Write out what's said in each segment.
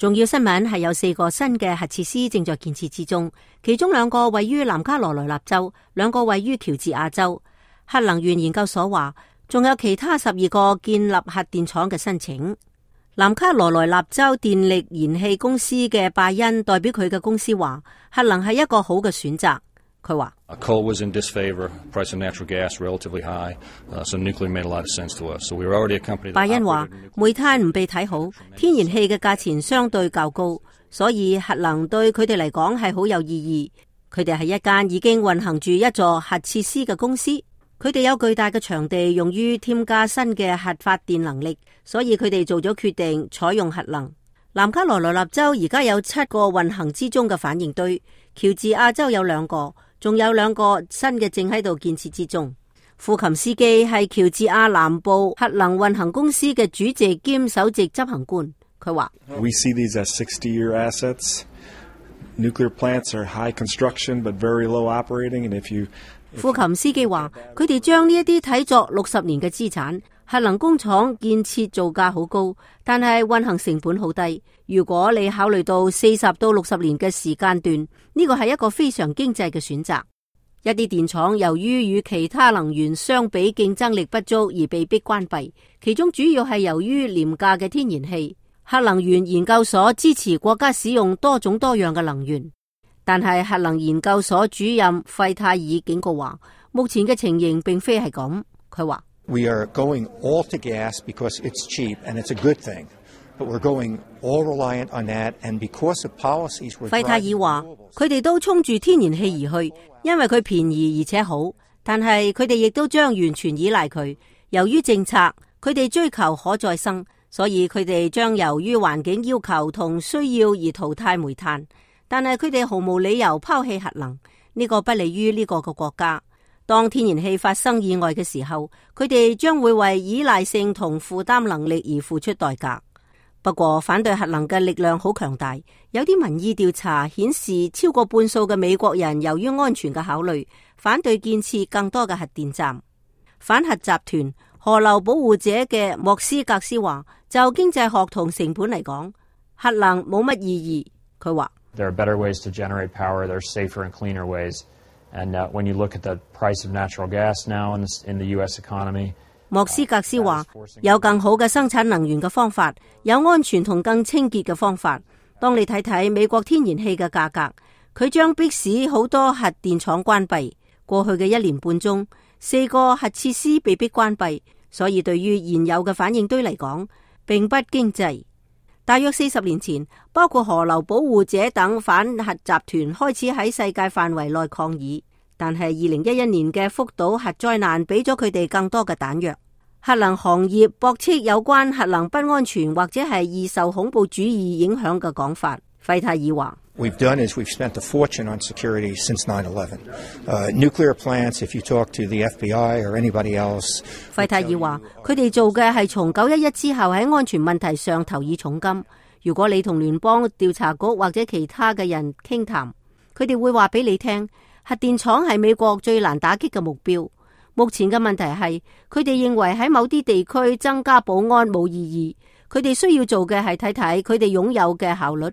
重要新聞係有4個新嘅核設施正在建設之中，其中2個位於南卡羅來納州，2個位於喬治亞州。核能源研究所話，仲有其他12個建立核電廠嘅申請。南卡羅來納州電力燃氣公司嘅拜恩代表佢嘅公司話，核能係一個好嘅選擇。佢話Coal was in disfavor, price of natural gas relatively high, so nuclear made a lot of sense to us. So we were already a company. 拜恩話煤炭唔被睇好，天然氣嘅價錢相對較高，所以核能對佢哋嚟講係好有意義。佢哋係一間已經運行住一座核設施嘅公司，佢哋有巨大嘅場地用於添加新嘅核發電能力，所以佢哋做咗決定採用核能。南卡羅來納州而家有7個運行之中嘅反應堆，喬治亞州有2個。仲有2個新嘅正喺度建設之中。庫琴斯基係喬治亞南部核能運行公司嘅主席兼首席執行官。佢話：We see these as 60-year assets. Nuclear plants are high construction but very low operating. And if you 庫琴斯基話，佢哋將呢一啲睇作60年嘅資產。核能工廠建設造價好高，但係運行成本好低。如果你考慮到40到60年嘅時間段，呢個係一個非常經濟嘅選擇。一啲電廠由於與其他能源相比競爭力不足而被迫關閉，其中主要係由於廉價嘅天然氣。核能源研究所支持國家使用多種多樣嘅能源，但係核能研究所主任費泰爾警告話，目前嘅情形並非係咁。佢話：We are going all to gas because it's cheap and it's a good thing, but we're going all reliant on that, and because of policies we're。費泰爾話：佢哋都衝住天然氣而去，因為佢便宜而且好，但係佢哋亦都將完全依賴佢。由於政策，佢哋追求可再生，所以佢哋將由於環境要求同需要而淘汰煤炭，但係佢哋毫無理由拋棄核能，呢個不利於呢個嘅國家。當天然氣發生意外嘅時候，佢哋將會為依賴性同負擔能力而付出代價。不過反對核能嘅力量好強大，有啲民意調查顯示超過半數嘅美國人由於安全嘅考慮，反對建設更多嘅核電站。反核集團河流保護者嘅莫斯格斯話，就經濟學同成本嚟講，核能冇乜意義。佢話：There are better ways to generate power. There are safer and cleaner ways. And when you look at the price of natural gas now in the U.S. economy， 莫斯格斯話有更好嘅生產能源嘅方法，有安全同更清潔嘅方法。當你睇睇美國天然氣嘅價格，佢將迫使好多核電廠關閉。過去嘅1年半中，4個核設施被迫關閉，所以對於現有嘅反應堆嚟講，並不經濟。大約40年前，包括河流保護者等反核集團開始喺世界範圍內抗議，但係2011年嘅福島核災難俾咗佢哋更多嘅彈藥。核能行業駁斥有關核能不安全或者係易受恐怖主義影響嘅講法。費泰爾話：We've done is we've spent a fortune on security since 9/11. Nuclear plants, if you talk to the FBI or anybody else。費泰爾話：佢哋做嘅係從911之後喺安全問題上投以重金。如果你同聯邦調查局或者其他嘅人傾談，佢哋會話俾你聽，核電廠係美國最難打擊嘅目標。目前嘅問題係，佢哋認為喺某啲地區增加保安冇意義，佢哋需要做嘅係睇睇佢哋擁有嘅效率。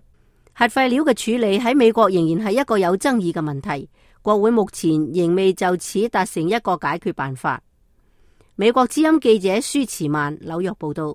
核廢料嘅處理喺美國仍然係一個有爭議嘅問題，國會目前仍未就此達成一個解決辦法。美國之音記者舒慈曼紐約報道。